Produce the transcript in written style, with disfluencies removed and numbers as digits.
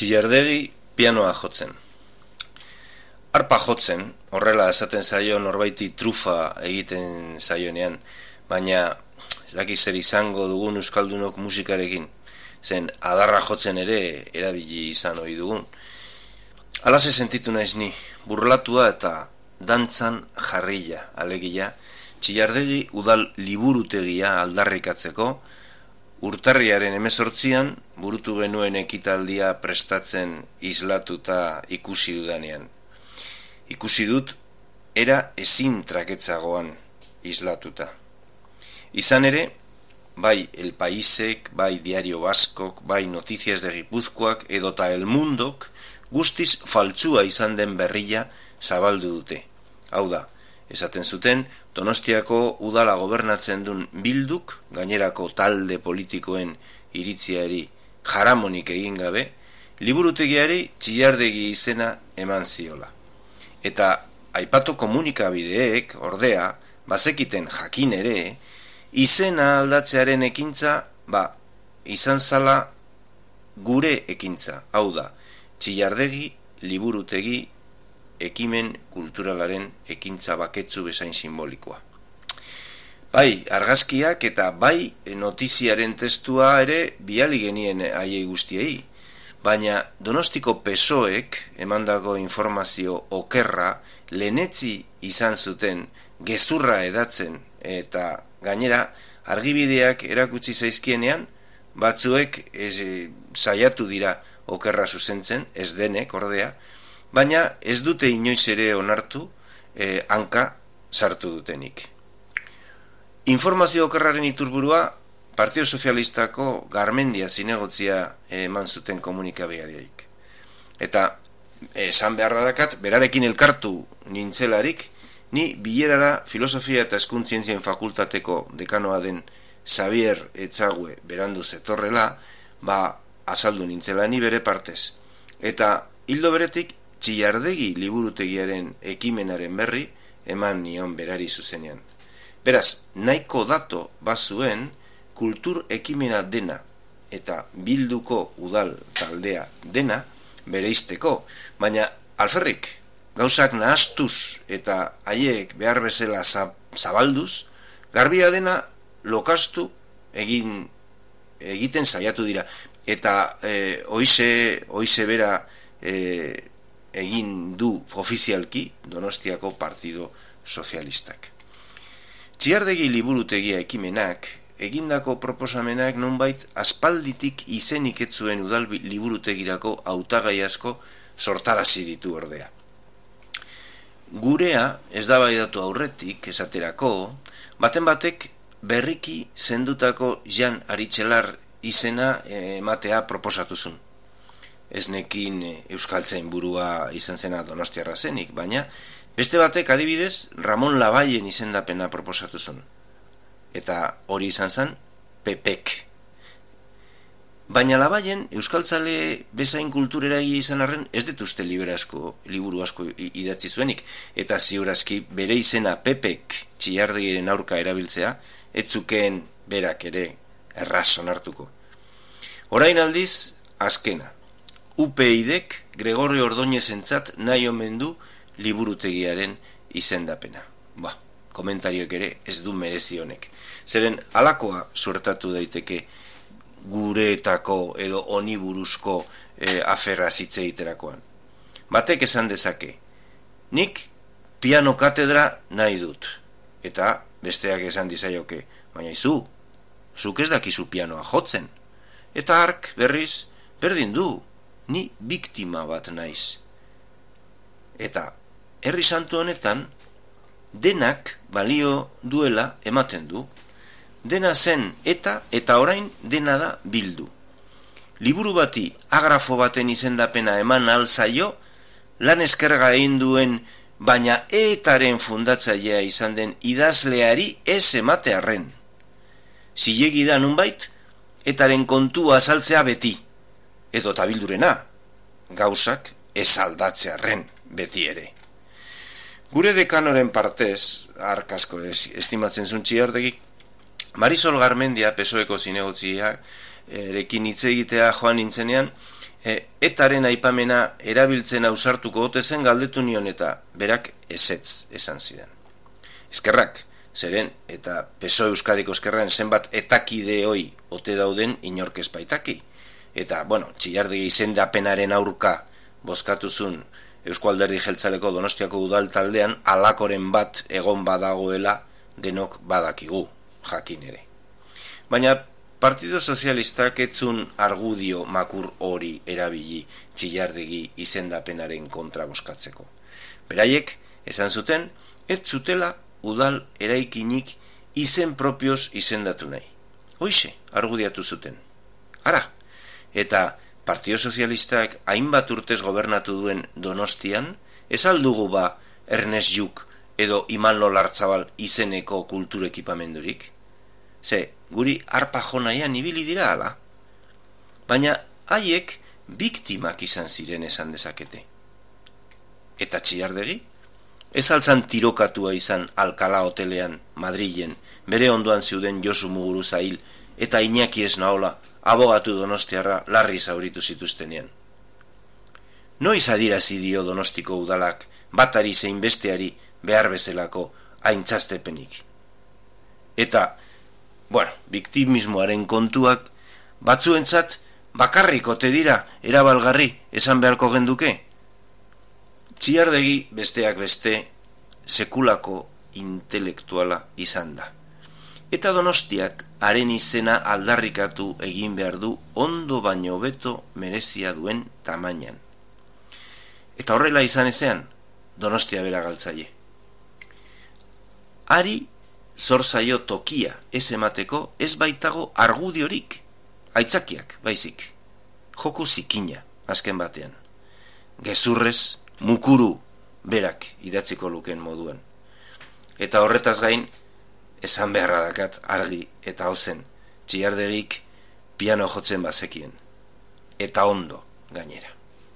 Txillardegi pianoa jotzen. Arpa jotzen, horrela esaten zaio norbaiti trufa egiten zaionean, baina ez daki zer izango dugun euskaldunok musikarekin, zen adarra jotzen ere erabili izan ohi dugun. Alase sentitu naiz ni, burlatua eta dantzan jarrila, alegia, Txillardegi udal liburutegia aldarrikatzeko, urtarriaren 18an burutu genuen ekitaldia prestatzen islatuta ikusi dudanean. Ikusi dut, era ezin traketzagoan islatuta. Izan ere, bai El Paisek, bai Diario Baskok, bai Noticias de Gipuzkoak edota El Mundok guztiz faltsua izan den berria zabaldu dute. Hau da, esaten zuten, Donostiako udala gobernatzen duen Bilduk, gainerako talde politikoen iritziari jaramonik egin gabe, liburutegiari Txillardegi izena eman ziola. Eta aipatu komunikabideek, ordea, bazekiten jakin ere, izena aldatzearen ekintza, izan zala gure ekintza, hau da, Txillardegi liburutegi ekimen kulturalaren ekintza baketsu bezain simbolikoa. Bai, argazkiak eta bai notiziaren testua ere bidali genien haiei guztiei, baina Donostiko PSOEk emandako informazio okerra lehenetzi izan zuten gezurra edatzen eta gainera argibideak erakutsi zaizkienean batzuek saiatu dira okerra zuzentzen, ez denek ordea, baina ez dute inoiz ere onartu hanka sartu dutenik. Informazio okerraren iturburua Partido Sozialistako Garmendia zinegotzia eman zuten komunikabidearik. Eta esan beharra dakat, berarekin elkartu nintzelarik, ni bilerara Filosofia eta Hezkuntzientzien Fakultateko dekanoa den Xavier Etxague berandu zetorrela, azaldu nintzela ni bere partez. Eta hildo beretik Txillardegi liburutegiaren ekimenaren berri eman nion berari zuzenean. Beraz, nahiko dato bazuen kultur ekimena dena eta Bilduko udal taldea dena bereizteko, baina alferrik gauzak nahastuz eta haiek behar bezala zabalduz, garbia dena lokastu egiten saiatu dira. Eta hoize bera egin du ofizialki Donostiako Partido Sozialistak. Txillardegi liburutegia ekimenak, egindako proposamenak nonbait aspalditik izenik ez zuen udal liburutegirako hautagai asko sortarazi ditu ordea. Gurea ez da baidatu aurretik, esaterako, baten batek berriki zendutako Jan Aritxelar izena ematea proposatuzun. Ez nekin euskaltzain burua izan zena donostiarra zenik, baina beste batek adibidez Ramon Labaien izendapena proposatuzun. Eta hori izan zen Pepek. Baina Labaien euskaltzale bezain kultureragi izan arren ez dituzte liburu asko idatzi zuenik, eta ziurazki bere izena Pepek Txillardegiren aurka erabiltzea, ez zukeen berak ere erraz onartuko. Orain aldiz, azkena. UPyDek Gregorio Ordóñezentzat nahi omen du liburutegiaren izendapena. Komentarioek ere ez du merezi honek. Zeren halakoa suertatu daiteke gureetako edo honi buruzko aferra hitz egiterakoan. Batek esan dezake, nik piano katedra nahi dut. Eta besteak esan dizaioke, baina zuk ez dakizu pianoa jotzen. Eta hark berriz, berdin du, ni biktima bat naiz. Eta herri santu honetan, denak balio duela ematen du. Dena zen eta orain dena da Bildu. Liburu bati agrafo baten izendapena eman alzaio, lan eskerga egin duen, baina etaren fundatzailea izan den idazleari ez ematearren. Zilegi da nunbait, etaren kontua azaltzea beti, edo Bildurena, gauzak ez aldatzearren beti ere. Gure dekanoren partez, arkasko estimatzen zuen Txillardegi, Marisol Garmendia, PSOEko zinegotzia, erekin hitz egitea joan nintzenean, Etaren aipamena erabiltzen ausartuko ote zen galdetu nion eta berak ezetz esan zidan. Eskerrak, zeren eta PSOE Euskadiko Ezkerraren zenbat etakide hoi ote dauden inork ez baitaki. Eta, Txillardegi izendapenaren aurka bozkatuzun Eusko Alderdi Jeltzaleko Donostiako udal taldean alakoren bat egon badagoela denok badakigu, jakin ere. Baina Partido Sozialistak etzun argudio makur hori erabili Txillardegi izendapenaren kontra bozkatzeko. Beraiek, esan zuten, ez zutela udal eraikinik izen propioz izendatu nahi. Hoixe, argudiatu zuten. Ara, eta Partido Sozialistak hainbat urtez gobernatu duen Donostian, ez aldugu ba Ernest Lluch edo Imanol Lartzabal izeneko kulturekipamendurik? Ze, guri arpa jonaian ibili dira ala. Baina haiek biktimak izan ziren esan dezakete. Eta Txillardegi? Ez altzan tirokatua izan Alcalá hotelean, Madrilen, bere ondoan zeuden Josu Muguruza hil eta Iñaki Esnaola, abogatu donostiarra larri zauritu zituztenean. Noiz adirazi dio Donostiko udalak batari zein besteari behar bezalako aintzaztepenik. Eta, biktimismoaren kontuak batzuentzat bakarrik ote dira erabalgarri esan beharko genduke. Txillardegi besteak beste sekulako intelektuala izan da. Eta Donostiak haren izena aldarrikatu egin behar du ondo baino hobeto merezia duen tamainan. Eta horrela izan ezean, Donostia bera galtzaile. Hari zor zaio tokia ez emateko ez baitago argudiorik, aitzakiak baizik. Joku zikina, azken batean. Gezurrez, mukuru berak idatziko luken moduan. Eta horretaz gain, esan beharra dakat argi eta ozen, Txillardegik piano jotzen bazekien. Eta ondo gainera.